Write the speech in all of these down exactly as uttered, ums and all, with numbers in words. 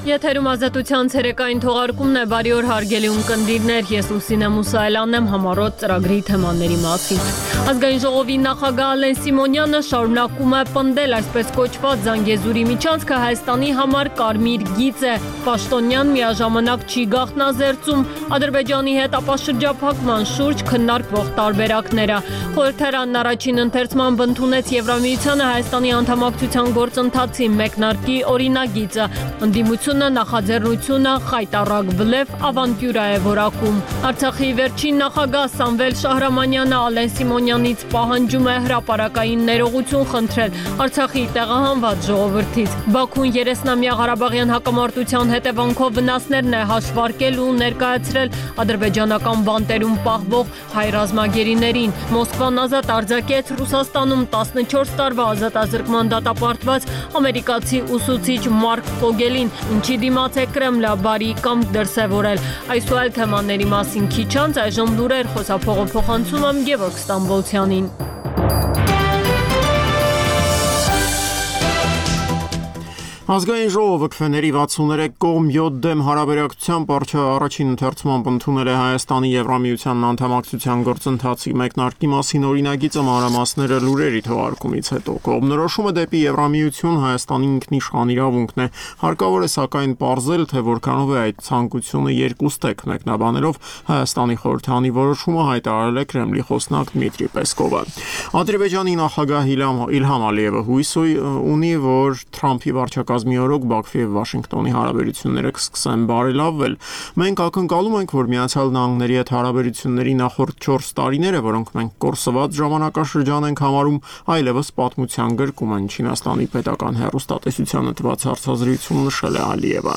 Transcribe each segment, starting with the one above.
Եթերում ազատության ցերեկային թողարկումն է, բարի օր հարգելի ունկնդիրներ, ես Լուսինե Մուսայելյանն եմ համառոտ ծրագրի թեմաների մասին։ Ազգային ժողովի նախագահ Ալեն Սիմոնյանը շարունակում է պնդել այսպես կոչված Զանգեզուրի միջանցքը Հայաստանի համար կարմիր գիծ է։ Պաշտոնյան միաժամանակ չի գաղտնազերծում Ադրբեջանի հետ ապաշրջափակման շուրջ քննարկվող տարբերակները։ Խորհրդարանն առաջին ընթերցմամբ ընդունեց Եվրամիությանը Հայաստանի անդամակցության գործընթացի մեկնարկի օրինագիծը։ Ընդդիմությունը նախաձեռնությունը խայտառակ բլեֆ ավանտյուրա է որակում։ Արցախի վերջին նախագահ Սամվել Շահրամանյանը Ալեն Սիմոնյանից պահանջում է հրապարակային ներողություն խնդրել Արցախի տեղահանված ժողովրդից։ Բաքուն երեսնամյա Ղարաբաղյան հակամարտության հետևանքով վնասներն է հաշվարկել ու ներկայացրել ադրբեջանական բանտերում պահվող հայ ռազմագերիներին։ Մոսկվան ազատ արձակեց Ռուսաստանում տասնչորս տարվա ազատազրկման դատապարտված ամերիկացի ուսուցիչ Մարկ Ֆոգելին, ինչի դիմաց է Կրեմլը բարի կամք դրսևորել։ Այս ու այլ թեմաների մասին քիչ անց այժմ լուրեր խոսափողը փոխանցում եմ Գևորգ Ստամբոլցյանին։ Ազգային ժողովը քվեների վաթսուններեք կողմ յոթ դեմ հարաբերակցությամբ առաջին ընթերցմամբ ընդունել է Հայաստանի Եվրամիության անդամակցության գործընթացի մեկնարկի մասին օրինագիծը մանրամասները լուրերի թողարկումից հետո։ Կողմնորոշումը դեպի Եվրամիություն Հայաստանի ինքնիշխան իրավունքն է, հարկավոր է սակայն պարզել, թե որքանով է այդ ցանկությունը երկուստեք, մեկնաբանելով Հայաստանի խորհրդարանի որոշումը հայտարարել է Կրեմլի խոսնակ Դմիտրի Պեսկովը։ Ադրբեջանի նախագահ Իլհամ Ալիևը հույս ունի, որ Թրամփի վարչակազմի օրոք Բաքվի և Վաշինգտոնի հարաբերությունները կսկսեն բարելավվել։ Մենք ակնկալում ենք, որ Միացյալ Նահանգների հետ հարաբերությունների նախորդ չորս տարիները, որոնք մենք կորսված ժամանակաշրջան ենք համարում, այլևս պատմության գրկում են, Չինաստանի պետական հեռուստատեսությանը տված հարցազրույցում նշել է Ալիևը։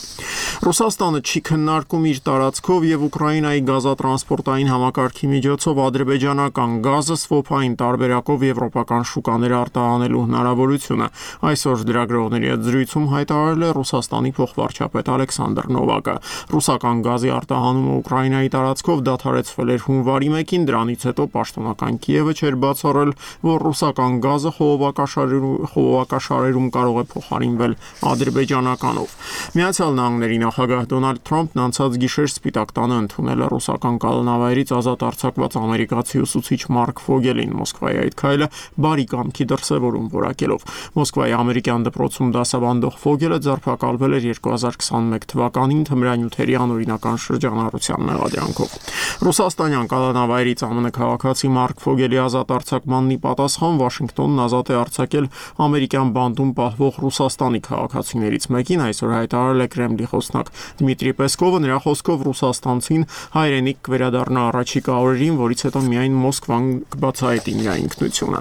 Ռուսաստանը չի քննարկում իր տարածքով և Ուկրաինայի գազատրանսպորտային համակարգի միջոցով ադրբեջանական գազը սվոփային տարբերակով եվրոպական շուկաներ արտահանելու հնարավորությունը։ Այսօր լրագրողների հետ զրույցում հայտարարել է Ռուսաստանի փոխվարչապետ Ալեքսանդր Նովակը։ Ռուսական գազի արտահանումը Ուկրաինայի տարածքով դադարեցվել էր հունվարի մեկին, դրանից հետո պաշտոնական Կիևը չէր բացառել, որ ռուսական գազը խողովակաշարերում կարող է փոխարինվել ադրբեջանականով։ Միացյալ Նահանգների նախագահ Դոնալդ Թրամփն անցած գիշեր Սպիտակ տանը ընդունել է ռուսական կալանավայրից ազատ արձակված ամերիկացի ուսուցիչ Մարկ Ֆոգելին։ Մոսկվայի այդ քայլը բարի կամքի դրսևորում որակելով։ Մոսկվայի ամերիկյան դպրոցում դասավանդող Ֆոգելը ձերբակալվել էր երկու հազար քսաներորդ թվականին թմրանյութերի անօրինական շրջանառության մեղադրանքով։ Ռուսաստանյան կալանավայրից ԱՄՆ քաղաքացի Մարկ Ֆոգելի ազատ արձակմանն ի պատասխան Վաշինգտոնն ազատ է արձակել ամերիկյան բանտում պահվող Ռուսաստանի քաղաքացիներից մեկին, այսօր հայտարարել է Կրեմլի խոսնակ Դմիտրի Պեսկովը։ Նրա խոսքով ռուսաստանցին հայրենիք կվերադառնա առաջիկա օրերին, որից հետո միայն Մոսկվան կբացահայտի նրա ինքնությունը։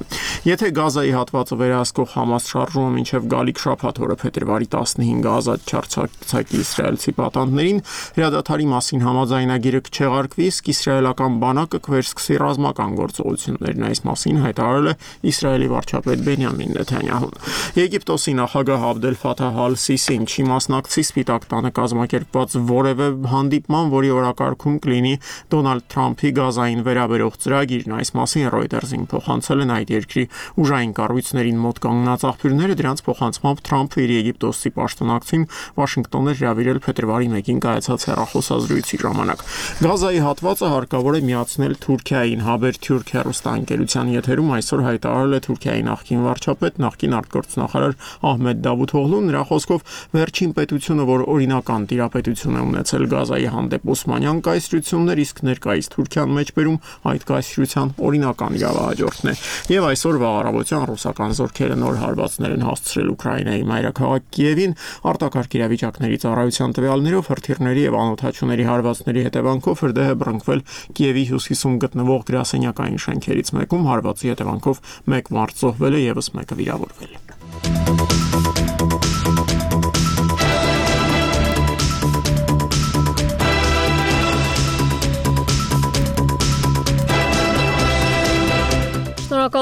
Եթե Գազայի հատվածը վերահսկող Համաս շարժումը մինչև գալիք շաբաթ օրը փետրվարի տասնհինգը ազատ չարձակի իսրայելցի պատանդներին, հրադադարի մասին համաձայնագիրը կչեղարկվի, իսկ իսրայելական բանակը կվերսկսի ռազմական գործողություններն։ Այս մասին հայտարարել է Իսրայելի վարչապետ Բենյամին Նեթանյահուն։ Եգիպտոսի նախագահ Աբդել Ֆաթահ Ալ-Սիսին չի մասնակցի Սպիտակ տանը կազմակերպված որևէ հանդիպման, որի օրակարգում կլինի Դոնալդ Թրամփի գազային վերաբերող ծրագիրն։ Այս մասին Reuters-ին փոխանցել են այդ երկրի ուժային կառույցներին մոտ կանգնած աղբյուրները, դրանց փոխանցմամբ Թրամփը իր եգիպտոսի պաշտոնակցին Վաշինգտոն էր հրավիրել փետրվարի մեկին կայացած հեռախոսազրույցի ժամանակ։ Գազայի հատվածը հարկավոր է միացնել Թուրքիային։ Haberturk հեռուստաընկերության եթերում այսօր հայտարարել է Թուրքիայի նախկին վարչապետ, նախկին արտգործնախարար Ահմեդ Դավութօղլուն։ Նրա խոսքով վերջին պետությունը, որ օրինական տիրապետություն է ունեցել Գազայի հանդեպ օսմանյան կայսրություններ, իսկ ներկայիս Թուրքիան մեջբերում այդ կայսրության օրինական իրավահաջորդն է։ Եվ այսօր վաղ առավոտյան ռուսական զորքերը նոր հարվածներ են հասցրել Ուկրաինայի մայրաքաղաք Կիևին։ Արտակարգ իրավիճակների ծառայության տվյալներով հրթիռների եւ անօդաչուների հարվածների հետևանքով հրդեհ է բռնկվել Կիևի հյուսիսում գտնվող գրասենյակային շենքերից մեկում։ Հարվածի հետևանքով մեկ մարդ զոհվել է, եւս մեկը վիրավորվել։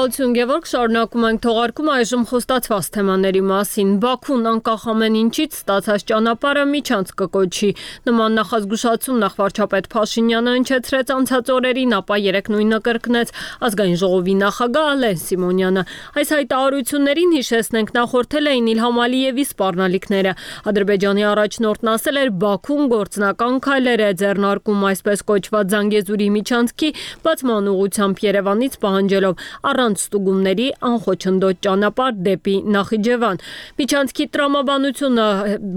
Շնորհակալություն Գևորգ, շարունակում ենք թողարկումը այժմ խոստացված թեմաների մասին։ Բաքուն անկախ ամեն ինչից ստացած ճանապարհը միջանց կկոչի։ Նման նախազգուշացում նախ վարչապետ Փաշինյանը հնչեցրեց անցած օրերին, ապա երեկ նույնը կրկնեց ազգային ժողովի նախագահ Ալեն Սիմոնյանը։ Այս հայտարարություններին հիշեցնենք նախորդել էին Իլհամ Ալիևի սպառնալիքները։ Ադրբեջանի առաջնորդն ասել էր Բաքուն գործնական քայլեր է ձեռնարկում այսպես կոչված Զանգեզուրի միջանցքի բացման ուղղությամբ Երևանից պահանջելով առանց ստուգումների անխոչնդոտ ճանապարհ դեպի Նախիջևան։ Միջանցքի տրամաբանությունը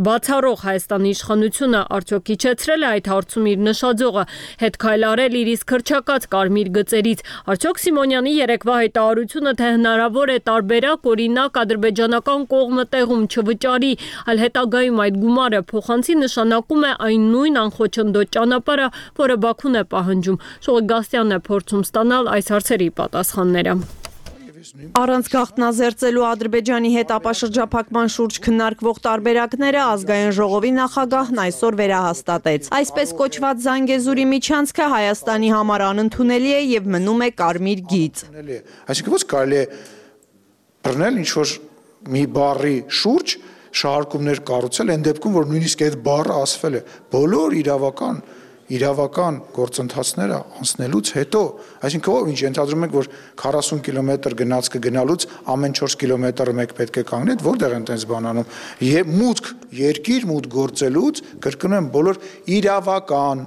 բացառող Հայաստանի իշխանությունը արդյոք իջեցրել է այդ հարցում իր նշաձողը, հետ քայլարել իր իսկ հռչակած կարմիր գծերից։ Արդյոք Սիմոնյանի երեկվա հայտարարությունը թե հնարավոր է տարբերակ օրինակ ադրբեջանական կողմը տեղում չվճարի, այլ հետագայում այդ գումարը փոխանցի նշանակում է այն նույն անխոչնդոտ ճանապարհը, որը Բաքուն է պահանջում։ Շողիկ Գաստյանն է փորձում ստանալ այս հարցերի պատասխանները։ Առանց գաղտնազերծելու Ադրբեջանի հետ ապաշրջափակման շուրջ քննարկվող տարբերակները ազգային ժողովի նախագահն այսօր վերահաստատեց։ Այսպես կոչված Զանգեզուրի միջանցքը Հայաստանի համար անընդունելի է եւ մնում է կարմիր գիծ։ Այսինքն ոչ կարելի է բռնել ինչ-որ մի բառի շուրջ շահարկումներ կառուցել այն դեպքում, որ նույնիսկ այդ բառը ասվել է բոլոր իրավական իրավական գործընթացները անցնելուց հետո, այսինքն ով ինչ ենթադրում եք, որ քառասուն կիլոմետր գնաց կգնալուց ամեն չորս կիլոմետրը մեկ պետք է կանգնի, որտեղ են տենց բան անում։ Եվ մուտք երկիր մուտք գործելուց, կրկնում եմ, բոլոր իրավական,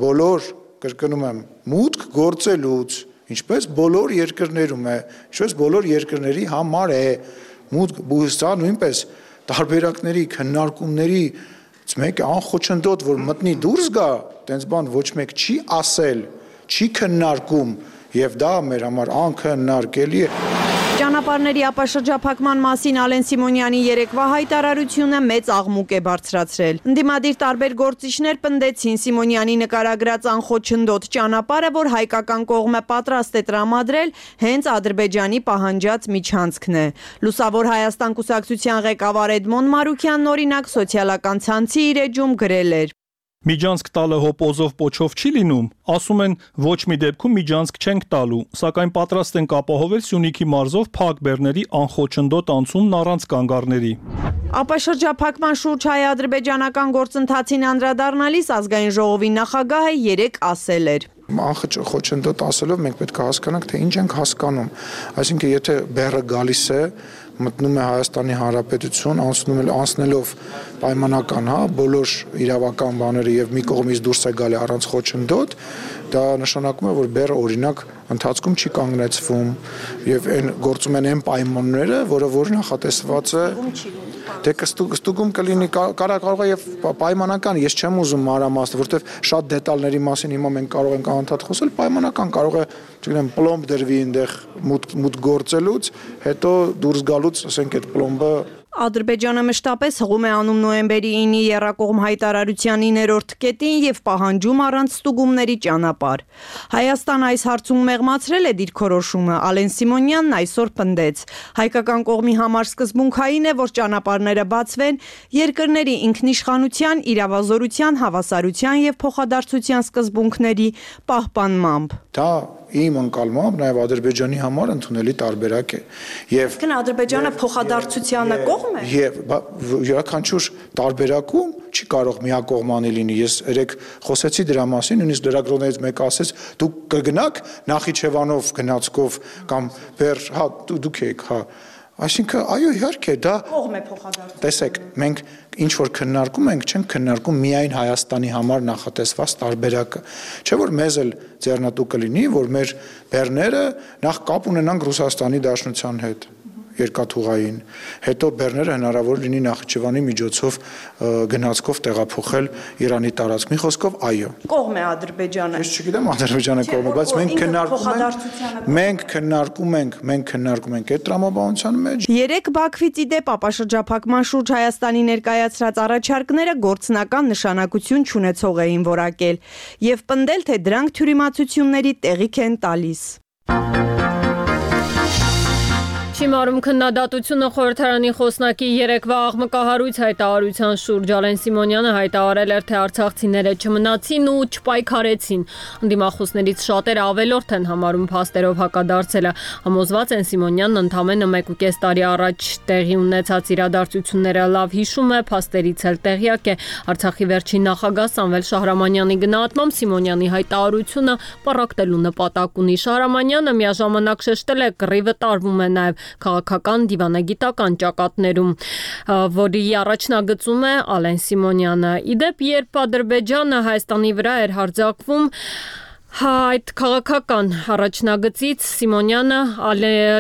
բոլոր, կրկնում եմ, մուտք գործելուց, ինչպես բոլոր երկրներում է, ինչպես բոլոր երկրների համար է, մուտք բույսա նույնպես տարբերակների, քննարկումների մեկ անխոչնդոտ, որ մտնի դուրս գա, տենց բան ոչ մեկ չի ասել, չի քննարկում եւ դա մեր համար անքննարկելի է։ Ճանապարհների ապաշրջափակման մասին Ալեն Սիմոնյանի երեկվա հայտարարությունը մեծ աղմուկ է բարձրացրել։ Ընդդիմադիր տարբեր գործիչներ պնդեցին Սիմոնյանի նկարագրած անխոչնդոտ ճանապարհը, որ հայկական կողմը պատրաստ է տրամադրել, հենց Ադրբեջանի պահանջած միջանցքն է։ Լուսավոր Հայաստան կուսակցության ղեկավար Էդմոն Մարուքյանն օրինակ սոցիալական ցանցի իր էջում գրել էր. Միջանցք տալը հոպոզով պոչով չի լինում, ասում են ոչ մի դեպքում միջանցք չենք տալու, սակայն պատրաստ ենք ապահովել Սյունիքի մարզով փակ բեռների անխոչնդոտ անցումն առանց կանգառների։ Ապաշրջափակման շուրջ հայ-ադրբեջանական գործընթացին անդրադառնալիս ազգային ժողովի նախագահը երեկ ասել էր. Անխոչնդոտ ասելով մենք պետք է հասկանանք, թե ինչ ենք հասկանում, այսինքն եթե բեռը գալիս է մտնում է Հայաստանի Հանրապետություն, անցնում է անցնելով պայմանական, հա, բոլոր իրավական բաները եւ մի կողմից դուրս է գալի առանց խոչընդոտ, դա նշանակում է, որ բեռը օրինակ ընթացքում չի կանգնեցվում եւ այն գործում են այն պայմանները, որը որ նախատեսված է դե կստուգում կլինի կարող է եւ պայմանական, ես չեմ ուզում մանրամասն, որովհետեւ շատ դետալների մասին հիմա մենք կարող ենք անընդհատ խոսել, պայմանական կարող է, չգիտեմ, պլոմբ դրվի այնտեղ մուտք մուտք գործելուց, հետո դուրս գալուց, ասենք այդ պլոմբը Ադրբեջանը մշտապես հղում է անում նոյեմբերի ինի եռակողմ հայտարարության իններորդ կետին եւ պահանջում առանց ստուգումների ճանապարհ։ Հայաստանը այս հարցում մեղմացրել է դիրքորոշումը, Ալեն Սիմոնյանն այսօր պնդեց։ Հայկական կողմի համար սկզբունքային է, որ ճանապարհները բացվեն երկրների ինքնիշխանության, իրավազորության, հավասարության եւ փոխադարձության սկզբունքների պահպանմամբ։ Դա իմ ընկալմամբ նաև Ադրբեջանի համար ընդունելի տարբերակ է։ Եվ Կն Ադրբեջանը փոխադարձությանը կողմ է։ Եվ յուրաքանչյուր տարբերակում չի կարող միակողմանի լինի։ Ես երեք խոսեցի դրա մասին, նույնիսկ լրագրողներից մեկը ասեց՝ դուք կգնաք Նախիջևանով գնացքով կամ բեր, հա, դուք եք, հա։ Այսինքն, այո, իհարկե, դա կողմ է փոխադարձություն։ Տեսեք, մենք ինչ որ քննարկում ենք, չենք քննարկում միայն Հայաստանի համար նախատեսված տարբերակը։ Չէ՞ որ մեզ էլ ձեռնատու կլինի, որ մեր բեռները նախ կապ ունենանք Ռուսաստանի Դաշնության հետ երկաթուղային, հետո բեռները հնարավոր լինի Նախիջևանի միջոցով գնացքով տեղափոխել Իրանի տարածք։ Մի խոսքով, այո։ Կողմ է Ադրբեջանը։ Ես չգիտեմ Ադրբեջանը կողմ է, բայց մենք քննարկում ենք, մենք քննարկում ենք, մենք քննարկում ենք այդ տրամաբանության մեջ։ Երեք Բաքվից ի դեպ ապաշրջափակման շուրջ Հայաստանի ներկայացրած առաջարկները գործնական նշանակություն չունեցող էին որակել եւ պնդել, թե դրանք թյուրիմացությունների տեղիք են տալիս։ Շիմարում քննադատությունը խորհրդարանի խոսնակի երեկվա աղմկահարույց հայտարարության շուրջ Ալեն Սիմոնյանը հայտարարել էր, թե արցախցիները չմնացին ու չպայքարեցին։ Ընդդիմախոսներից շատերը ավելորդ են համարում փաստերով հակադարձելը։ Համոզված են Սիմոնյանն ընդամենը մեկ ու կես տարի առաջ տեղի ունեցած իրադարձությունները լավ հիշում է, փաստերից էլ տեղյակ է։ Արցախի վերջին նախագահ Սամվել Շահրամանյանի գնահատմամբ Սիմոնյանի հայտարարությունը պառակտելու նպատակ ունի։ Շահրամանյանը միաժամանակ շեշտել է, կռիվը տարվում է նաև քաղաքական դիվանագիտական ճակատներում, որի առաջնագծում է Ալեն Սիմոնյանը։ Իդեպ, երբ Ադրբեջանը Հայաստանի վրա էր հարձակվում, այդ քաղաքական առաջնագծից Սիմոնյանը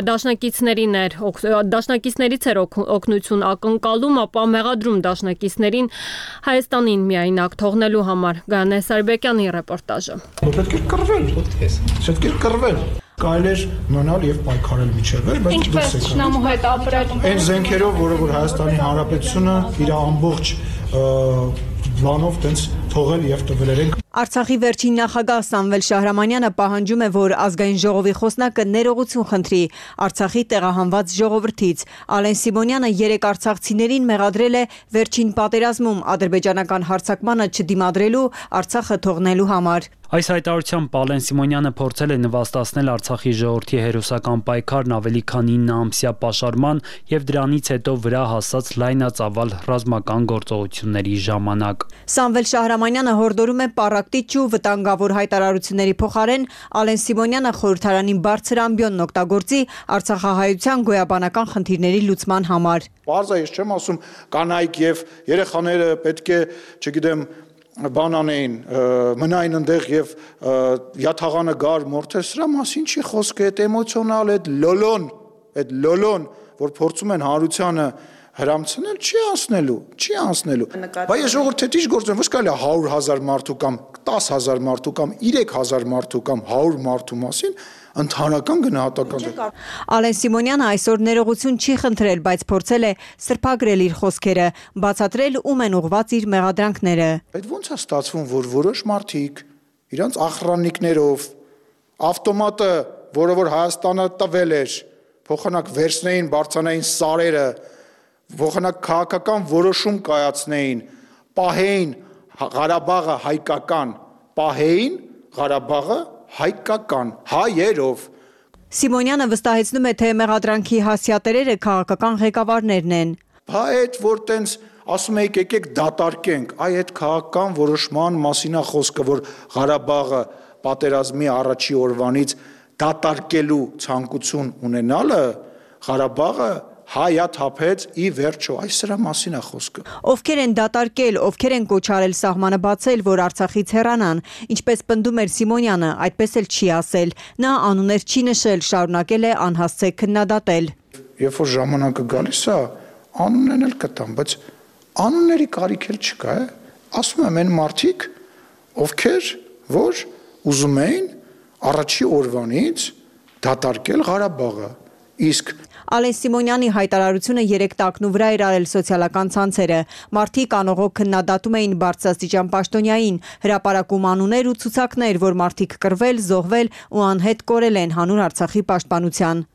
դաշնակիցներին էր դաշնակիցներից էր օգնություն ակնկալում, ապա մեղադրում դաշնակիցներին Հայաստանին միայնակ թողնելու համար։ Գայանե Սարիբեկյանի ռեպորտաժը։ Պետք է կռվել, պետք է կռվել։ Կարելի էր մնալ եւ պայքարել միջև, բայց ինչպես Չնամու հետ ապրել։ Այն զենքերով, որը որ Հայաստանի Հանրապետությունը իր ամբողջ բանով տենց թողել եւ տվել են։ Արցախի վերջին նախագահ Սամվել Շահրամանյանը պահանջում է, որ ազգային ժողովի խոսնակը ներողություն խնդրի Արցախի տեղահանված ժողովրդից։ Ալեն Սիմոնյանը երեք արցախցիներին մեղադրել է վերջին պատերազմում ադրբեջանական հարձակմանը չդիմադրելու, Արցախը թողնելու համար։ Այս հայտարարությամբ Ալեն Սիմոնյանը փորձել է նվաստացնել Արցախի ժողովրդի հերոսական պայքարն ավելի քան ինը ամսյա պաշարման եւ դրանից հետո վրա հասած լայնածավալ ռազմական գործողությունների ժամանակ։ Սամվել Շահրամանյանը հորդորում է պառակտիչ ու վտանգավոր հայտարարությունների փոխարեն Ալեն Սիմոնյանը խորհրդարանին բարձր ամբիոնն օգտագործի արցախահայության գոյաբանական խնդիրների լուծման համար։ Բարձր ես չեմ ասում կանայք եւ երեխաները պետք է, չգիտեմ, բան անեին, մնային ընդեղ եւ յաթաղանը գար մորթեր, սրա մասին չի խոսքը, այդ էմոցիոնալ, այդ լոլոն, այդ լոլոն, որ փորձում են հանրությանը հրամցնել, չի անցնելու, չի անցնելու։ Բայց ես ժողովուրդ թե ինչ գործեմ, ոչ կարելի է հարյուր հազար մարդու կամ դես հազար մարդու կամ երեք հազար մարդու կամ հարյուր մարդու մասին ընդհանրական գնահատական։ Ալեն Սիմոնյանը այսօր ներողություն չի խնդրել, բայց փորձել է սրբագրել իր խոսքերը, բացատրել ում են ուղղված իր մեղադրանքները։ Այդ ո՞նց է ստացվում, որ որոշ մարդիկ իրանց ախրանիկներով ավտոմատը, որը որ Հայաստանը տվել էր, փոխանակ վերցնեին, բարձրանային սարերը, փոխանակ քաղաքական որոշում կայացնեին, պահեին Ղարաբաղը հայկական, պահեին Ղարաբաղը հայկական, հայերով։ Սիմոնյանը վստահեցնում է, թե մեղադրանքի հասյատերերը քաղաքական ղեկավարներն են։ Բա այդ որ տենց ասում եք եկեք դատարկենք, այ այդ քաղաքական որոշման մասին է խոսքը, որ Ղարաբաղը պատերազմի առաջի օրվանից դատարկելու ցանկություն ունենալը, Ղարաբաղը հայա թափեց ի վերջո, այս սրա մասին է խոսքը։ Ովքեր են դատարկել, ովքեր են կոչարել սահմանը բացել, որ Արցախից հեռանան, ինչպես պնդում էր Սիմոնյանը, այդպես էլ չի ասել։ Նա անուններ չի նշել, շարունակել է անհասցե քննադատել։ Երբ որ ժամանակը գալիս է, անուններն էլ կտամ, բայց անունների կարիք էլ չկա, է։ Ասում եմ այն մարդիկ, ովքեր որ ուզում էին առաջի օրվանից դատարկել Ղարաբաղը, իսկ Ալեն Սիմոնյանի հայտարարությունը երեք տակնու վրա էր արել սոցիալական ցանցերը։ Մարդիկ անողոք քննադատում էին բարձրաստիճան պաշտոնյային, հրապարակում անուններ ու ցուցակներ, որ մարդիկ կռվել, զոհվել ու անհետ կորել են հանուն Արցախի պաշտպանության։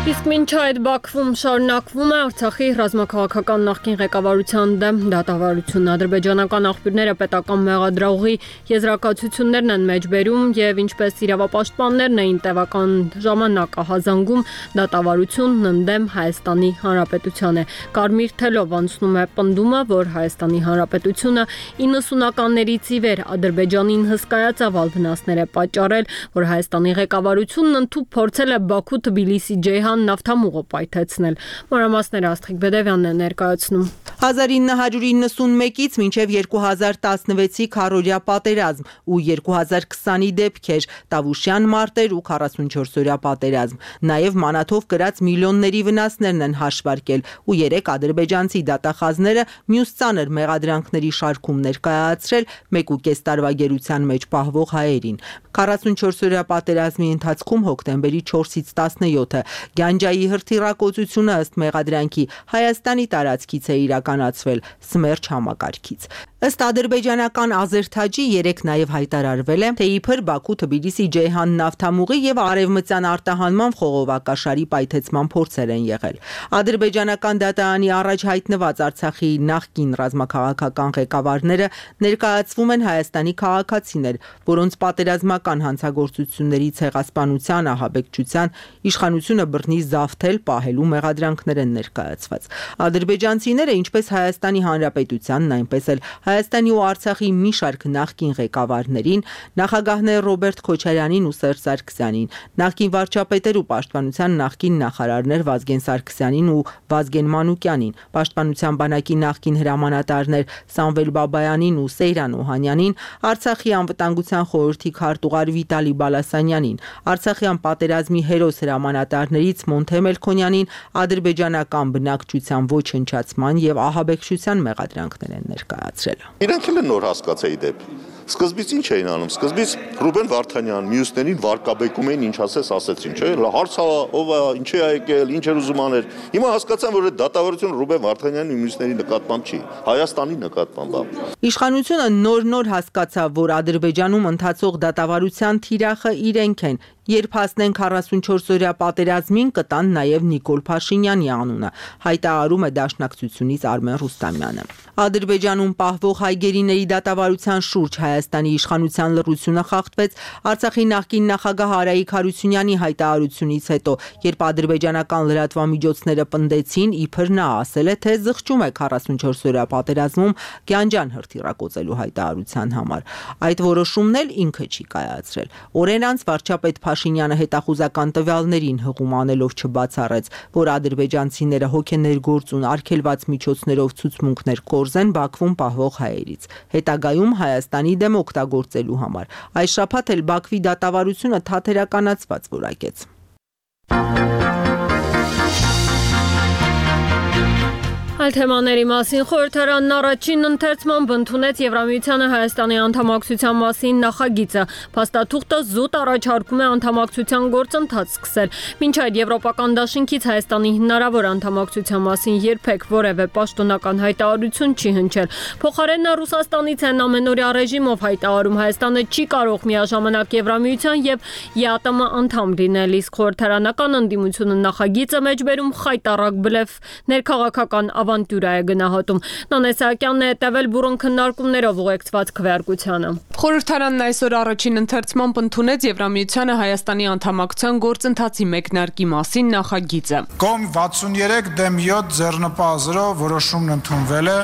Իսկ մինչ այդ Բաքվում շարունակվում է Արցախի ռազմաքաղաքական նախկին ղեկավարության դեմ դատավարությունն։ Ադրբեջանական աղբյուրները պետական մեղադրողի եզրակացություններն են մեջբերում եւ ինչպես իրավապաշտպաններն էին տևական ժամանակ ահազանգում, դատավարությունն ընդդեմ Հայաստանի Հանրապետության է։ Կարմիր թելով անցնում է պնդումը, որ Հայաստանի Հանրապետությունը իննսունականներից ի վեր Ադրբեջանին հսկայածավալ վնասներ է պատճառել, որ Հայաստանի ղեկավարությունն ընդཐུպ փորձել է Բաքու-Թբիլիսի-Ջեհան նավթամուղը պայթեցնել։ Մանրամասները Աստղիկ Բեդևյանն է ներկայացնում։ հազար ինը հարյուր իննսունմեկից մինչև երկու հազար տասնվեցի քառօրյա պատերազմ ու երկու հազար քսանի դեպքեր, Տավուշյան մարտեր ու քառասունչորսօրյա պատերազմ։ Նաև մանաթով կրած միլիոնների վնասներն են հաշվարկել ու երեք ադրբեջանցի դատախազները մյուս ծանր մեղադրանքների շարքում ներկայացրել մեկ ու կես տարվա գերության մեջ պահվող հայերին։ քառասունչորսօրյա պատերազմի ընթացքում հոկտեմբերի չորսից տասնյոթը Գանջայի հրթիռակոծությունը ըստ մեղադրանքի Հայաստանի տարածքից է իրականացվել իրականացվել սմերջ համակարգից։ Ըստ ադրբեջանական Ազերթաջի երեք նաև հայտարարվել է, թե իբր Բաքու-Թբիլիսի-Ջեյհան նավթամուղի եւ արևմտյան արտահանման խողովակաշարի պայթեցման փորձեր են եղել։ Ադրբեջանական դատարանի առաջ հայտնված Արցախի նախկին ռազմաքաղաքական ղեկավարները ներկայացվում են Հայաստանի քաղաքացիներ, որոնց պատերազմական հանցագործությունների ցեղասպանության, ահաբեկչության, իշխանությունը բռնի զավթել, պահելու մեղադրանքներ են ներկայացված։ Ադրբեջանցիները, ինչպես Հայաստանի Հանրապետությանն, այնպես էլ Հայաստանի ու Արցախի մի շարք նախկին ղեկավարներին, նախագահներ Ռոբերտ Քոչարյանին ու Սերժ Սարգսյանին, նախկին վարչապետեր ու պաշտպանության նախկին նախարարներ Վազգեն Սարգսյանին ու Վազգեն Մանուկյանին, պաշտպանության բանակի նախկին հրամանատարներ Սամվել Բաբայանին ու Սեյրան Օհանյանին, Արցախի անվտանգության խորհրդի քարտուղար Վիտալի Բալասանյանին, Արցախյան պատերազմի հերոս հրամանատարներից Մոնթե Մելքոնյանին ադրբեջանական բնակչության ոչնչացման եւ ահաբեկչության մեղադրանքներ են ներկայացրել։ Իրենք էլ նոր հասկացայի դեպ։ Սկզբից ինչ էին անում։ Սկզբից Ռուբեն Վարդանյան, մյուսներին վարկաբեկում էին, ինչ ասես ասեցին, չէ՞։ Հարցա ով է, ինչ է եկել, ինչ էր ուզում անել։ Հիմա հասկացան, որ այդ դատավարությունը Ռուբեն Վարդանյանի ու մյուսների նկատմամբ չի, Հայաստանի նկատմամբ է։ Իշխանությունը նոր-նոր հասկացավ, որ Ադրբեջանում ընթացող դատավարության թիրախը իրենք են։ Երբ հասնեն քառասունչորս-օրյա պատերազմին, կտան նաև Նիկոլ Փաշինյանի անունը, հայտարարում է Դաշնակցությունից Արմեն Ռուստամյանը։ Ադրբեջանում պահվող հայ գերիների դատավարության շուրջ Հայաստանի իշխանության լռությունը խախտվեց Արցախի նախկին նախագահ Արայիկ Հարությունյանի հայտարարությունից հետո, երբ ադրբեջանական լրատվամիջոցները պնդեցին, իբր նա ասել է, թե զղջում է քառասունչորս-օրյա պատերազմում Գյանջան հրթիռակոծելու հայտարարության համար։ Այդ որոշումն էլ ինքը չի կայացրել։ Օրեր անց վարչապետ Փաշինյանը հետախուզական տվյալներին հղում անելով չբացառեց, որ ադրբեջանցիները հոգեներգործուն արգելված միջոցներով ցուցմունքներ կորզեն Բաքվում պահվող հայերից, հետագայում Հայաստանի դեմ օգտագործելու համար։ Այս շաբաթ էլ Բաքվի դատավարությունը թատերականացված որակեց։ Այլ թեմաների մասին խորհրդարանն առաջին ընթերցմամբ ընդունեց Եվրամիությանը Հայաստանի անդամակցության մասին նախագիծը։ Փաստաթուղթը զուտ առաջարկում է անդամակցության գործընթաց սկսել։ Մինչ այդ Եվրոպական դաշինքից Հայաստանի հնարավոր անդամակցության մասին երբեք որևէ պաշտոնական հայտարարություն չի հնչել։ Փոխարենն Ռուսաստանից են ամենօրյա ռեժիմով հայտարարում Հայաստանը չի կարող միաժամանակ Եվրամիության եւ ԵԱՏՄ անդամ լինել, իսկ խորհրդարանական ընդդիմությունը նախագիծը մեջբերում խայտառակ բլեֆ ներքաղաքական ավանտյուրա է գնահատում։ Նանե Սահակյանն է հետևել բուրըն քննարկումներով ուղեկցված քվեարկությանը։ Խորհրդարանն այսօր առաջին ընթերցմամբ ընդունեց Եվրամիությանը Հայաստանի անդամակցության գործընթացի մեկնարկի մասին նախագիծը։ Կողմ վաթսուններեք դեմ յոթ ձեռնպազրով որոշումն ընդունվել է։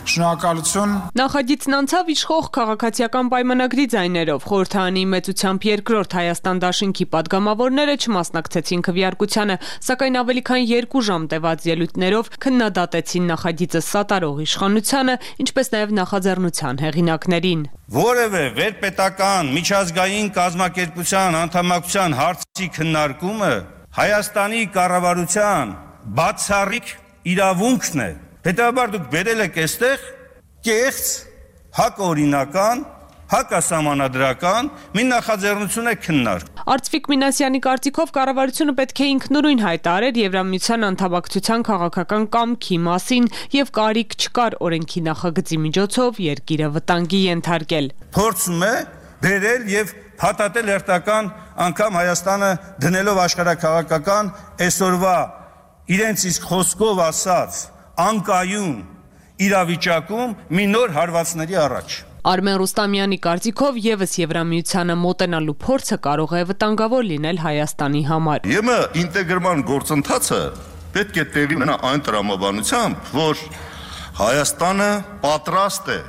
Շնորհակալություն։ Նախագիծն անցավ իշխող քաղաքացիական պայմանագրի ձայներով։ Խորհրդարանի մեծությամբ երկրորդ Հայաստան դաշինքի падգամավորները չմասնակցեցին քվեարկությանը, սակայն ավելի քան երկու ժամ տևած ելույթներով քննադատեցին նախագիծը սատարող իշխանությանը, ինչպես նաև նախաձեռնության հեղինակներին։ Որևէ վերպետական միջազգային կազմակերպության անդամակցության հարցի քննարկումը Հայաստանի կառավարության բացառիկ իրավունքն է։ Հետաբար դուք բերել եք այստեղ կեղծ, հակօրինական, հակասահմանադրական մի նախաձեռնություն է քննարկում։ Արծվիկ Մինասյանի կարծիքով կառավարությունը պետք է ինքնուրույն հայտարարեր Եվրամիության անդամակցության քաղաքական կամքի մասին եւ կարիք չկար օրենքի նախագծի միջոցով երկիրը վտանգի ենթարկել։ Փորձում է բերել եւ փաթաթել հերթական անգամ Հայաստանը դնելով աշխարհակաղակական այսօրվա իրենց իսկ խոսքով ասած անկայուն իրավիճակում մի նոր հարվածների առաջ։ Արմեն Ռուստամյանի կարծիքով եւս Եվրամիությանը մոտենալու փորձը կարող է վտանգավոր լինել Հայաստանի համար։ ԵՄ ինտեգրման գործընթացը պետք է տեղի ունենա այն տրամաբանությամբ, որ Հայաստանը պատրաստ է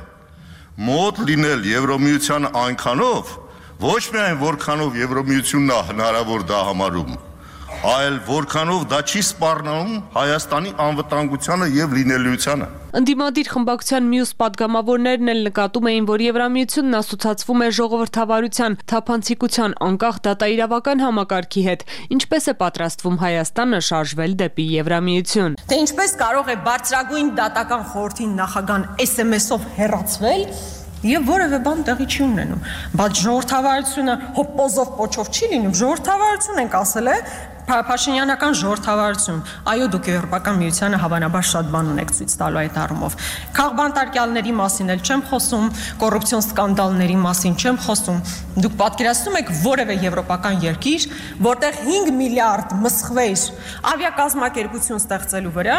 մոտ լինել Եվրամիությանը այնքանով, ոչ միայն որքանով Եվրամիությունն է հնարավոր դա համարում, այլ որքանով դա չի սպառնում Հայաստանի անվտանգությանը եւ լինելիությանը։ Ընդդիմադիր խմբակցության մյուս падգամավորներն էլ նկատում էին, որ Եվրամիությունն ասոցացվում է ժողովրդավարության, թափանցիկության, անկախ դատաիրավական համակարգի հետ, ինչպես է պատրաստվում Հայաստանը շարժվել դեպի Եվրամիություն։ Թե ինչպես կարող է բարձրագույն դատական խորհրդի նախագահան էս էմ էսով հեռացվել եւ որևէ բան տեղի չի ունենում։ Բայց ժողովրդավարությունը հոպոզով պոչով չի լինում, ժողովրդավարություն ենք ասել է, Փաշինյանական ժողովրդավարություն, այո, դուք Եվրոպական միությանը հավանաբար շատ բան ունեք ցույց տալու այդ առումով։ Քաղբանտարկյալների մասին էլ չեմ խոսում, կոռուպցիոն սկանդալների մասին չեմ խոսում։ Դուք պատկերացնում եք որևէ եվրոպական երկիր, որտեղ հինգ միլիարդ մսխվեր ավիակազմակերպություն ստեղծելու վրա,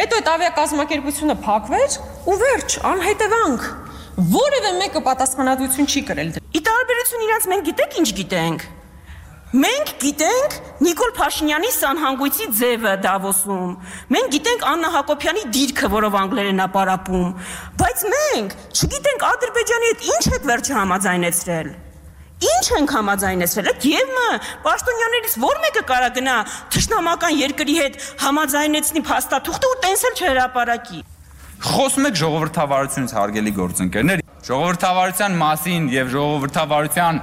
հետո այդ ավիակազմակերպությունը փակվեր ու վերջ, անհետևանք։ Որևէ մեկը պատասխանատվություն չի կրել։ Ի տարբերություն իրաց մենք գիտեք ինչ գիտենք։ Մենք գիտենք Նիկոլ Փաշինյանի սանհանգույցի ձևը Դավոսում։ Մենք գիտենք Աննա Հակոբյանի դիրքը, որով անգլերեն է պարապում, բայց մենք չգիտենք Ադրբեջանի հետ ինչ եք վերջը համաձայնեցրել։ Ինչ ենք համաձայնեցրել։ Եվ պաշտոնյաներից որ մեկը կարա գնա թշնամական երկրի հետ համաձայնեցնի փաստաթուղթը ու տենսել չհրապարակի։ Խոսում եք ժողովրդավարությունից, հարգելի գործընկերներ, ժողովրդավարության մասին եւ ժողովրդավարության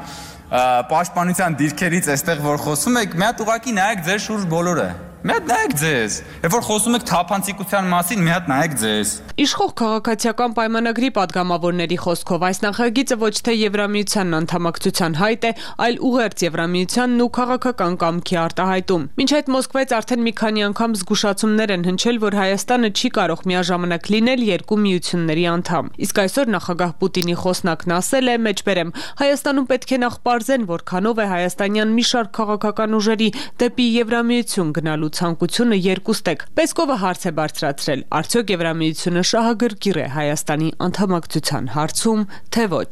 պաշտպանության դիրքերից այստեղ որ խոսում եք, մի հատ ուղակի նայեք ձեր շուրջ բոլորը։ Մի հատ նայեք ձեզ։ Երբ որ խոսում եք թափանցիկության մասին, մի հատ նայեք ձեզ։ Իշխող քաղաքացիական պայմանագրի падգամավորների խոսքով այս նախագիծը ոչ թե Եվրամիությանն անդամակցության հայտ է, այլ ուղերձ Եվրամիությանն ու քաղաքական կամքի արտահայտում։ Մինչ այդ Մոսկվայից արդեն մի քանի անգամ զգուշացումներ են հնչել, որ Հայաստանը չի կարող միաժամանակ լինել երկու միությունների անդամ։ Իսկ այսօր նախագահ Պուտինի խոսնակն ասել է, մեջբերեմ, Հայաստանում պետք է նախ պարզեն, որքանով է հայաստանյան մի շարք քաղաքական ուժերի դեպի Եվրամիություն գնալու ցանկությունը երկուստեք։ Պեսկովը հարց է բարձրացրել. արդյոք Եվրամիությունը շահագրգիռ է Հայաստանի անդամակցության հարցում, թե ոչ։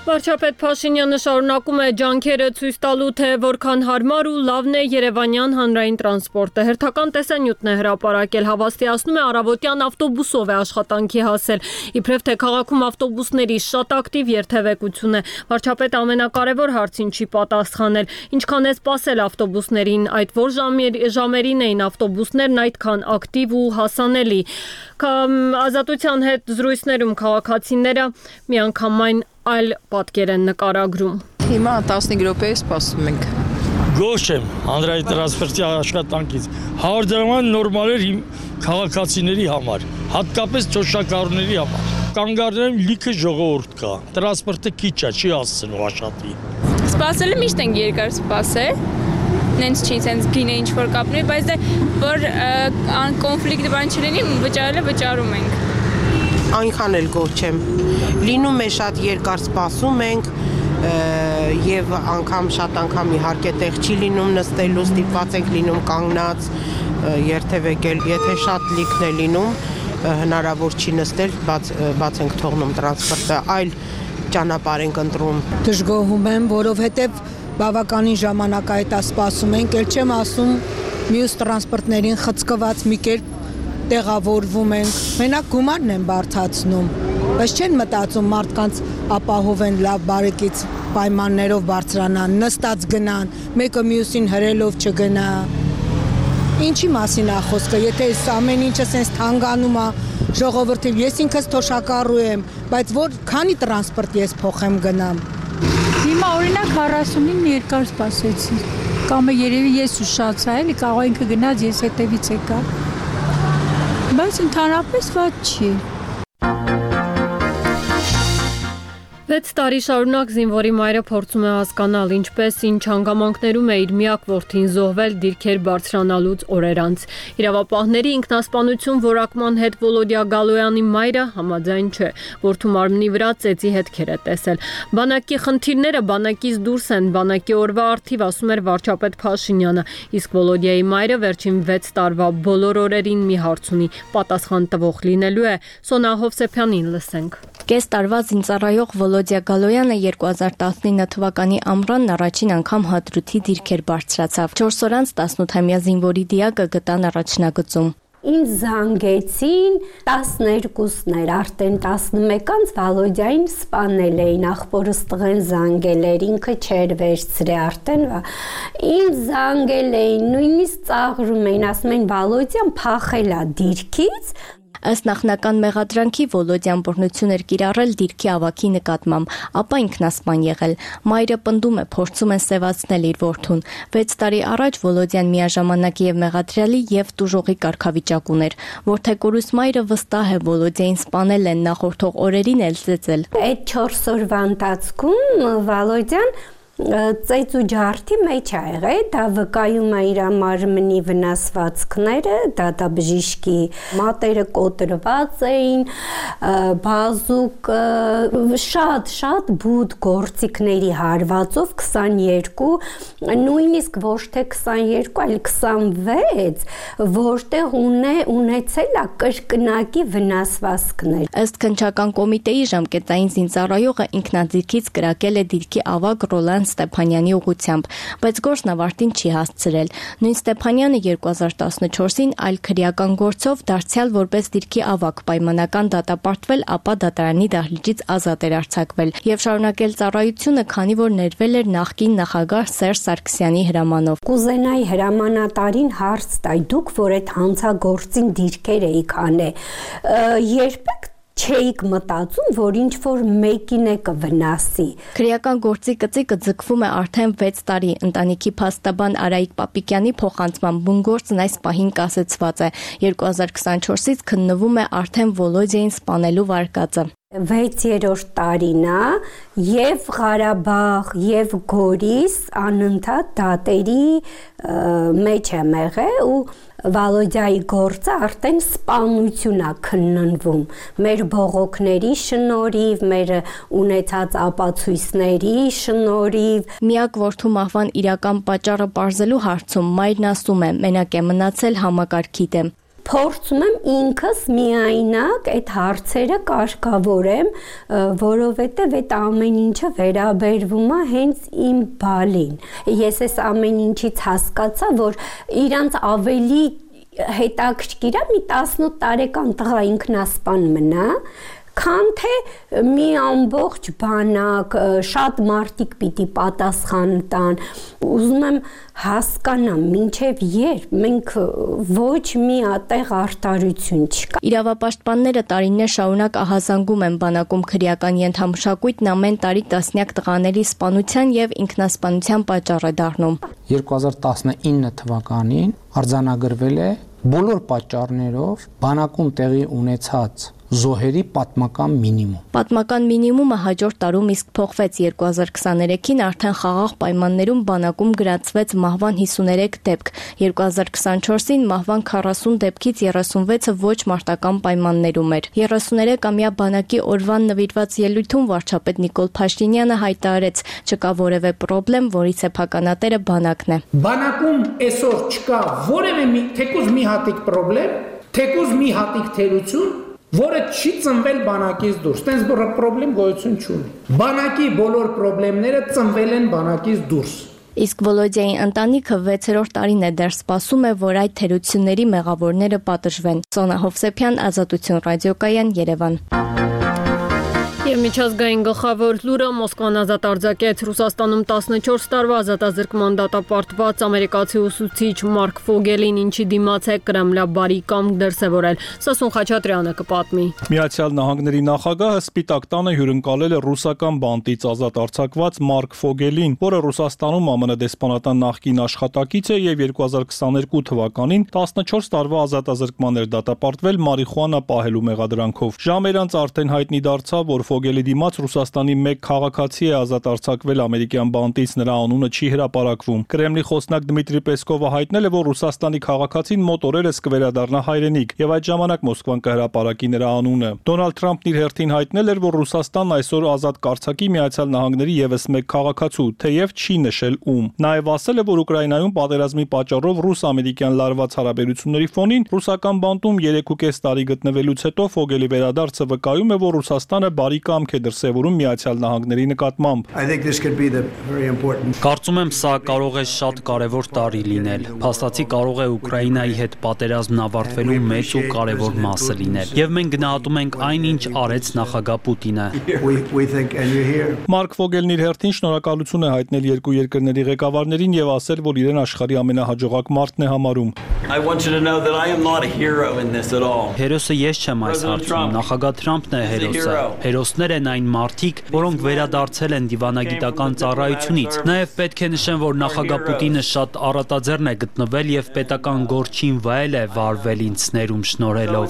Վարչապետ Փաշինյանը շարունակում է ջանքերը ցույց տալու, թե որքան հարմար ու լավն է երևանյան հանրային տրանսպորտը։ Հերթական տեսանյութն է հրապարակել, հավաստիացնում է առավոտյան ավտոբուսով է աշխատանքի հասել։ Իբրև թե քաղաքում ավտոբուսների շատ ակտիվ երթևեկություն է, վարչապետը ամենակարևոր հարցին չի պատասխանել։ Ինչքան է սպասել ավտոբուսներին, այդ որ ժամերին էին ավտոբուսներն այդքան ակտիվ ու հասանելի։ Ազատության հետ զրույցներում քաղաքացիները միանգամայն այլ պատկեր են նկարագրում։ Հիմա տասնհինգ րոպե սպասում ենք։ Գոհ եմ հանրային տրանսպորտի աշխատանքից։ հարյուր դրամ նորմալ էր քաղաքացիների համար, հատկապես ճոշակառուների համար։ Կանգառներում լիքը ժողովուրդ կա։ Տրանսպորտը քիչ է, չի հասցնում աշխատի։ Սպասելը միշտ ենք երկար սպասել։ Նենց չի, սենց գինը ինչ որ կապնի, բայց դե որ կոնֆլիկտ բան չլինի, վճարելը վճարում ենք։ Այնքան էլ գոհ չեմ։ Լինում է շատ երկար սպասում ենք եւ անգամ շատ անգամ իհարկե տեղ չի լինում նստելու, ստիպված ենք լինում կանգնած երթևեկել, եթե շատ լիքն է լինում, հնարավոր չի նստել, բաց բաց ենք թողնում տրանսպորտը, այլ ճանապարհ ենք ընտրում։ Դժգոհում եմ, որովհետեւ բավականին ժամանակ այդ սպասում ենք, ել չեմ ասում մյուս տրանսպորտներին խցկված մի կերպ տեղավորվում ենք, մենակ գումարն են բարդացնում, բայց չեն մտածում մարդկանց ապահովեն լավ բարեկից պայմաններով բարձրանան, նստած գնան, մեկը մյուսին հրելով չգնա։ Ինչի մասին է խոսքը, եթե ամեն ինչը սենց թանգանում է, ժողովրդին, ես ինքս թոշակառու եմ, բայց որ քանի տրանսպորտ ես փոխեմ գնամ։ Հիմա օրինակ քառասունին երկար սպասեցի, կամ երևի ես ուշացա, էլի կարող ինքը գնաց, ես հետևից եկա։ Բայց ընդհանրապես ված չի։ վեց տարի շարունակ զինվորի մայրը փորձում է հասկանալ ինչպես ինչ հանգամանքներում է իր միակ որդին զոհվել դիրքեր բարձրանալուց օրեր անց։ Իրավապահների ինքնասպանություն որակման հետ Վոլոդիա Գալոյանի մայրը համաձայն չէ, որդու մարմնի վրա ծեծի հետքեր է տեսել։ Բանակի խնդիրները բանակից դուրս են, բանակի օրվա արդիվ ասում էր վարչապետ Փաշինյանը, իսկ Վոլոդիայի մայրը վերջին վեց տարվա բոլոր օրերին մի հարց ունի, պատասխան տվող լինելու է։ Սոնա Հովսեփյանին լսենք։ Կես տարվա զինծառայող Վոլոդիա Գալոյանը երկու հազար տասնինը թվականի ամռանն առաջին անգամ հադրութի դիրքեր բարձրացավ։ չորս օր անց տասնութամյա զինվորի դիակը գտան առաջնագծում։ Ինձ զանգեցին տասներկուսներ, արդեն տասնմեկանց Վալոդիային սպանել էին, ախպորս տղեն զանգել էր, ինքը չեր վերցրե արդեն, ինձ զանգել էին, նույնիսկ ծաղրում էին, ասում էին Վալոդիան փախել է դիրքից։ Ըստ նախնական մեղադրանքի Վոլոդյան բռնություն էր կիրառել դիրքի ավագի նկատմամբ, ապա ինքնասպան եղել։ Մայրը պնդում է, փորձում են սևացնել իր որդուն։ վեց տարի առաջ Վոլոդյան միաժամանակ եւ մեղադրյալի եւ տուժողի կարգավիճակ ուներ։ Որդեկորուս մայրը վստահ է Վոլոդյային սպանել են, նախորդող օրերին էլ ծեծել։ Այդ չորս օրվա ընթացքում Վոլոդյան ծեծ ու ջարդի մեջ ա եղել, դա վկայում է իր մարմնի վնասվածքները, դատաբժիշկի մատերը կոտրված էին, բազուկը, շատ շատ բուտ գործիքների հարվածով քսաներկու, նույնիսկ ոչ թե քսաներկու, այլ քսանվեց, որտեղ ունե ունեցել է կրկնակի վնասվածքներ։ Ըստ քննչական կոմիտեի ժամկետային զինծառայողը ինքնաձիգից կրակել է դիրքի ավագ Ռոլան Ստեփանյանի ուղությամբ, բայց գործն ավարտին չի հասցրել։ Նույն Ստեփանյանը երկու հազար տասնչորսին այլ քրեական գործով դարձյալ որպես դիրքի ավագ պայմանական դատապարտվել, ապա դատարանի դահլիճից ազատ էր արձակվել եւ շարունակել ծառայությունը, քանի որ ներվել էր նախկին նախագահ Սերժ Սարգսյանի հրամանով։ Կուզենայի հրամանատարին հարց տայ, դուք որ այդ հանցագործին դիրքեր էիք անել, երբեք չէիք մտածում, որ ինչ որ մեկին է կվնասի։ Քրեական գործի կծիկը ձգվում է արդեն վեց տարի։ Ընտանիքի փաստաբան Արայիկ Պապիկյանի փոխանցման բունգործն այս պահին կասեցված է։ երկու հազար քսանչորսից քննվում է արդեն Վոլոդյային սպանելու վարկածը։ վեցերորդ տարին է եւ Ղարաբաղ եւ Գորիս անընդհատ դատերի մեջ է եղել ու Վոլոդյայի գործը արդեն սպանություն է քննվում մեր բողոքների շնորհիվ, մեր ունեցած ապացույցների շնորհիվ։ Միակ որդու մահվան իրական պատճառը պարզելու հարցում մայրն ասում է, մենակ է մնացել համակարգի դեմ։ Փորձում եմ ինքս միայնակ այդ հարցերը կարգավորեմ, որովհետև այդ ամեն ինչը վերաբերվում է հենց իմ բալին։ Ես այս ամեն ինչից հասկացա, որ իրանց ավելի հետաքրքիր է մի տասնութ տարեկան տղա ինքնասպան մնա, քան թե մի ամբողջ բանակ, շատ մարդիկ պիտի պատասխան տան։ Ուզում եմ հասկանամ, մինչև երբ մենք ոչ մի ատեղ արտարություն չկա։ Իրավապաշտպանները տարիներ շարունակ ահազանգում են բանակում քրեական ենթամշակույթն ամեն տարի տասնյակ տղաների սպանության եւ ինքնասպանության պատճառ է դառնում։ երկու հազար տասնինը թվականին արձանագրվել է բոլոր պատճառներով բանակում տեղի ունեցած զոհերի պատմական մինիմում։ Պատմական մինիմումը հաջորդ տարում իսկ փոխվեց երկու հազար քսաներեքին արդեն խաղաղ պայմաններում բանակում գրանցվեց մահվան հիսուներեք դեպք, երկու հազար քսանչորսին մահվան քառասուն դեպքից երեսունվեցը ոչ մարտական պայմաններում էր։ երեսուներեքամյա բանակի օրվան նվիրված ելույթում վարչապետ Նիկոլ Փաշինյանը հայտարարեց, չկա որևէ պրոբլեմ, որի սեփականատերը բանակն է։ Բանակում այսօր չկա որևէ մի թեկուզ մի հատիկ պրոբլեմ, թեկուզ մի հատիկ թերություն, որը չի ծնվել բանակից դուրս, տենց բռը պրոբլեմ գոյություն չունի։ Բանակի բոլոր պրոբլեմները ծնվել են բանակից դուրս։ Իսկ Վոլոդյայի ընտանիքը վեցերորդ տարին է դեռ սպասում է, որ այդ թերությունների մեղավորները պատժվեն։ Սոնա Հովսեփյան, Ազատություն ռադիոկայան, Երևան։ Եվ միջազգային գլխավոր լուրը Մոսկվան ազատ արձակեց Ռուսաստանում տասնչորս տարվա ազատազրկման դատապարտված ամերիկացի ուսուցիչ Մարկ Ֆոգելին, ինչի դիմաց է կրեմլաբարի կամք դրսևորել։ Սասուն Խաչատրյանը կպատմի։ Միացյալ Նահանգների նախագահը Սպիտակ տանը հյուրընկալել է ռուսական բանտից ազատ արձակված Մարկ Ֆոգելին, որը Ռուսաստանում ԱՄՆ դեսպանատան նախկին աշխատակից է եւ երկու հազար քսաներկու թվականին տասնչորս տարվա ազատազրկման էր դատապարտվել մարիխուանա պահելու մեղադրանքով։ Ժամեր անց արդեն հայտնի դարձավ, որ Ֆոգելի դիմաց Ռուսաստանի մեկ քաղաքացի է ազատ արձակվել ամերիկյան բանտից, նրա անունը չի հրապարակվում։ Կրեմլի խոսնակ Դմիտրի Պեսկովը հայտնել է, որ Ռուսաստանի քաղաքացին մոտ օրերս կվերադառնա հայրենիք, եւ այդ ժամանակ Մոսկվան կհրապարակի նրա անունը։ Դոնալդ Թրամփն իր հերթին հայտնել էր, որ Ռուսաստանն այսօր ազատ կարձակի Միացյալ Նահանգների եւս մեկ քաղաքացու, թեև չի նշել ում։ Նաեւ ասել է, որ Ուկրաինայում պատերազմի պատճառով ռուս-ամերիկյան լարված հարաբերությունների ֆոնին ռուսական բանտում երեք ու կես տարի գտնվելուց հետո Ֆոգելի վերադարձը վկայում է, որ Ռուսաստանը բարի կամք է դրսևորում Միացյալ Նահանգների նկատմամբ։ Կարծում եմ, սա կարող է շատ կարևոր տարի լինել։ Փաստացի կարող է Ուկրաինայի հետ պատերազմն ավարտվելու մեծ ու կարևոր մասը լինել։ Եվ մենք գնահատում ենք այն, ինչ արեց նախագահ Պուտինը։ Մարկ Ֆոգելն իր հերթին շնորհակալություն է հայտնել երկու երկրների ղեկավարներին եւ ասել, որ իրեն աշխարհի ամենահաջողակ մարդն է համարում։ Հերոսը ես չեմ այս հարցում, նախագահ Թրամփն է հերոսը։ Հերոսներ են այն մարդիկ, որոնք վերադարձել են դիվանագիտական ծառայությունից։ Նաև պետք է նշեմ, որ նախագահ Պուտինը շատ առատաձեռն է գտնվել եւ պետական գործին վայել է վարվել ինձ ներում շնորհելով։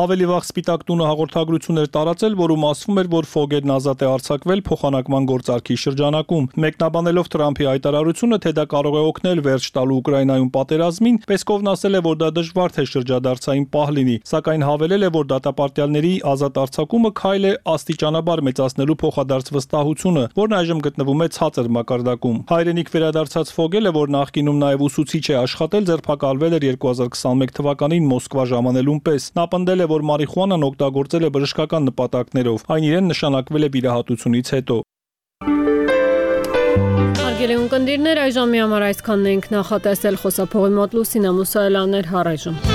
Ավելի վաղ Սպիտակ տունը հաղորդագրություն էր տարածել, որում ասվում էր, որ Ֆոգելն ազատ է արձակվել փոխանակման գործարքի շրջանակում։ Մեկնաբանելով Թրամփի հայտարարությունը, թե դա կարող է օգնել վերջ տալու Ուկրաինայում պատերազմին, Պեսկովն ասել է, որ դա դժվար թե շրջադարձային պահ լինի, սակայն հավելել է, որ դատապարտյալների ազատ արձակումը քայլ է աստիճանաբար մեծացնելու փոխադարձ վստահությունը, որն այժմ գտնվում է ցածր մակարդակում։ Հայրենիք վերադարձած Ֆոգելը, որ նախկինում նաև ուսուցիչ է աշխատել, ձերբակալվել էր երկու հազար քսանմեկ թվականին Մոսկվա ժամանելուն պես։ Նա պնդել է, որ մարիխուանան օգտագործել է բժշկական նպատակներով, այն իրեն նշանակվել է վիրահատությունից հետո։ Հարգելի ունկնդիրներ, այժմի համար այսքանն ենք նախատեսել, խոսափողի մոտ Լուսինա Մուսայելյանն էր, առայժմ։